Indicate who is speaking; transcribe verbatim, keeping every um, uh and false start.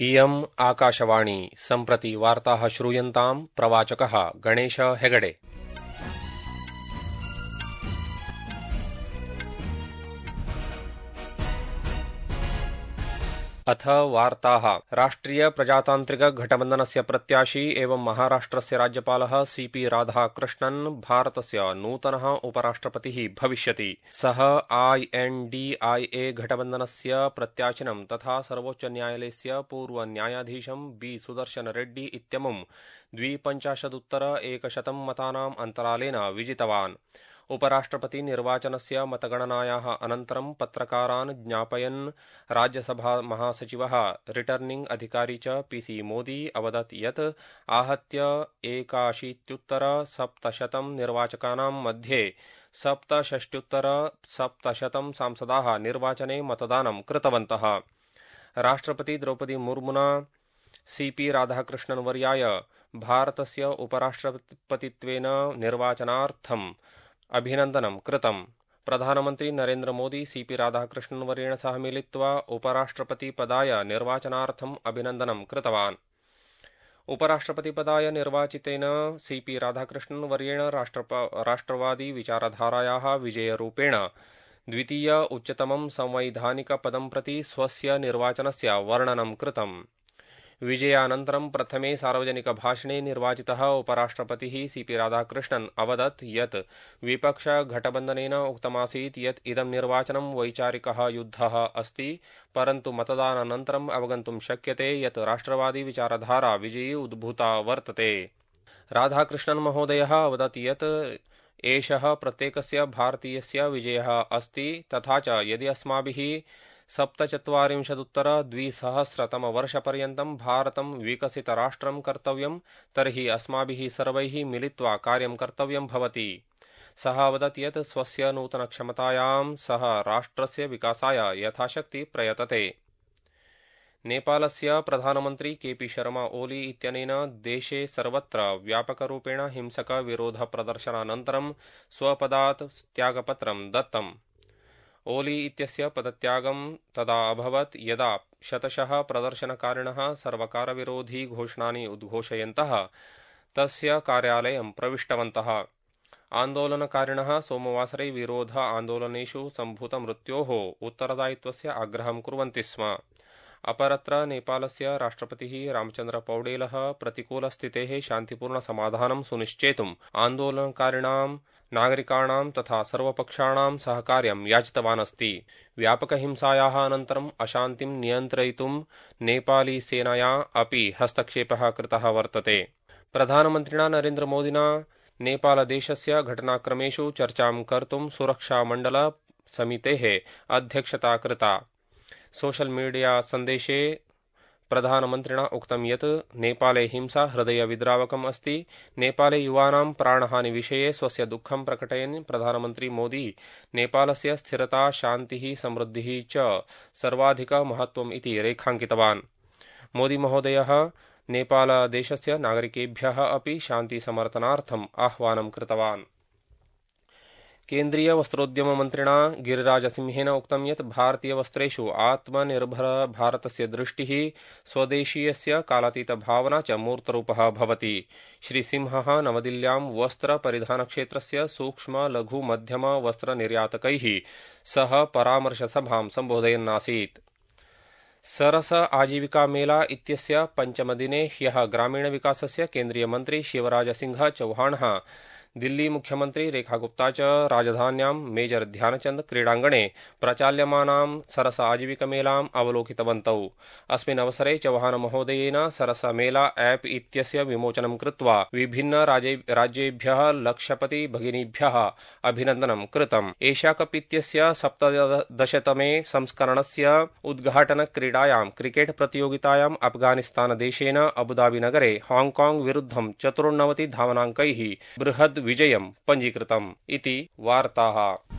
Speaker 1: इयम् आकाशवाणी सम्प्रति वार्ताः श्रूयन्ताम् प्रवाचकः गणेश हेगडे। अथ वार्ताः। राष्ट्रिय प्रजातान्त्रिक गठबन्धनस्य प्रत्याशी एवं महाराष्ट्रस्य राज्यपालः सीपी राधाकृष्णन् भारतस्य नूतनः उपराष्ट्रपतिः भविष्यति। सः आईएनडीआईए गठबन्धनस्य प्रत्याशिनं तथा सर्वोच्चन्यायालयस्य पूर्वन्यायाधीशं बी सुदर्शन रेड्डी इत्यमुं द्विपञ्चाशदुत्तर एकशतं मतानाम् अन्तरालेन विजितवान्। उपराष्ट्रपति निर्वाचनस्य मतगणनायाः अनन्तरं पत्रकारान् ज्ञापयन् राज्यसभा महासचिवः रिटर्निंग अधिकारी च पीसी मोदी अवदत् यत् आहत्य एकाशीत्युत्तर सप्तशतं निर्वाचकानां मध्ये सप्तषष्ट्युत्तर सप्तशतं सांसदाः निर्वाचने मतदानं कृतवन्तः। राष्ट्रपति द्रौपदी मुर्मुना सीपी राधाकृष्णन् वर्याय भारतस्य उपराष्ट्रपतित्वेन निर्वाचनार्थम् अभिनन्दनं कृतम्। प्रधानमन्त्री नरेन्द्र मोदी सीपी राधाकृष्णन् वर्येण सह मिलित्वा उपराष्ट्रपतिपदाय निर्वाचनार्थम् अभिनन्दनं कृतवान्। उपराष्ट्रपतिपदाय निर्वाचितेन सीपी राधाकृष्णन् वर्येण राष्ट्रवादी विचारधारायाः विजयरूपेण द्वितीय उच्चतमं संवैधानिकपदं प्रति स्वस्य निर्वाचनस्य वर्णनं कृतम्। विजयानन्तरं प्रथमे सार्वजनिकभाषणे निर्वाचितः उपराष्ट्रपतिः सीपी राधाकृष्णन् अवदत् यत् विपक्षगठबन्धनेन उक्तमासीत् यत् इदं निर्वाचनं वैचारिकः युद्धः अस्ति, परन्तु मतदानानन्तरम् अवगन्तुं शक्यते यत् राष्ट्रवादी विचारधारा विजयी उद्भूता वर्तते। राधाकृष्णन् महोदयः अवदत् यत् एषः प्रत्येकस्य भारतीयस्य विजयः अस्ति, तथा च यदि अस्माभिः सप्तचत्वारिंशदुत्तर द्विसहस्रतमवर्षपर्यन्तं भारतं विकसितराष्ट्रं कर्तव्यं तर्हि अस्माभिः सर्वैः मिलित्वा कार्यं कर्तव्यं भवति। सः अवदत् यत् स्वस्य नूतनक्षमतायां सः राष्ट्रस्य विकासाय यथाशक्ति प्रयतते। नेपालस्य प्रधानमन्त्री केपी शर्मा ओली इत्यनेन देशे सर्वत्र व्यापकरूपेण हिंसकविरोधप्रदर्शनानन्तरं स्वपदात् त्यागपत्रं दत्तम्। ओली इत्यस्य पदत्यागं तदा अभवत् यदा शतशः प्रदर्शनकारिणः सर्वकारविरोधी घोषणानि उद्घोषयन्तः तस्य कार्यालयं प्रविष्टवन्तः। आन्दोलनकारिणः सोमवासरे विरोध आन्दोलनेषु सम्भूतमृत्योः उत्तरदायित्वस्य आग्रहं कुर्वन्ति स्म। अपरत्र नेपालस्य राष्ट्रपतिः रामचन्द्र पौडेलः प्रतिकूलस्थितेः शान्तिपूर्णसमाधानं सुनिश्चेतुम् आन्दोलनकारिणां नागरिकाणां तथा सर्वपक्षाणां सहकार्यं याचितवान् अस्ति। व्यापकहिंसायाः अनन्तरम् अशान्तिं नियन्त्रयितुं नेपाली सेनया अपि हस्तक्षेपः कृतः वर्तते। प्रधानमन्त्रिणा नरेन्द्र मोदिना नेपालदेशस्य घटनाक्रमेषु चर्चां कर्तुं सुरक्षामण्डल समितेः अध्यक्षता कृता। सोशल मीडिया सन्देशे प्रधानमन्त्रिणा उक्तं यत् नेपाले हिंसा हृदयविद्रावकम् अस्ति। नेपाले युवानां प्राणहानिविषये स्वस्य दुःखं प्रकटयन् प्रधानमन्त्री मोदी नेपालस्य स्थिरता, शान्तिः, समृद्धिः च सर्वाधिकमहत्त्वम् इति रेखाङ्कितवान्। मोदी महोदयः नेपालदेशस्य नागरिकेभ्यः अपि शान्तिसमर्थनार्थम् आह्वानं कृतवान्। केन्द्रीय वस्त्रोद्यम मन्त्रिणा गिरिराजसिंहेन उक्तं यत् भारतीयवस्त्रेषु आत्मनिर्भर भारतस्य दृष्टिः स्वदेशीयस्य कालातीतभावना च मूर्तरूपः भवति। श्रीसिंहः नवदिल्ल्यां वस्त्रपरिधानक्षेत्रस्य सूक्ष्म लघु मध्यम वस्त्रनिर्यातकैः सह परामर्शसभां सम्बोधयन्नासीत्। सरस आजीविका मेला इत्यस्य पञ्चमदिने ह्यः ग्रामीणविकासस्य केन्द्रीयमन्त्री शिवराजसिंह चौहाणः दिल्ली मुख्यमंत्री रेखा गुप्ता च राजधान्यां मेजर ध्यानचंद क्रीडाङ्गणे प्रचाल्यमानां सरस आजीविकमेलाम् अवलोकितवन्तौ। अस्मिन् अवसरे चौहान महोदयेन सरस मेला ऐप् इत्यस्य विमोचनं कृत्वा विभिन्न राज्येभ्यः लक्षपति भगिनीभ्यः अभिनन्दनं कृतम्। एशिया कप इत्यस्य सप्तदशतमे संस्करणस्य उद्घाटनक्रीडायां क्रिकेट् प्रतियोगितायाम् अफगानिस्तानदेशेन अबुधाबीनगरे हाङ्काङ्ग् विरुद्धं चतुर्नवति धावनाङ्कैः बृहद् विजयं पञ्जीकृतम् इति वार्ताः।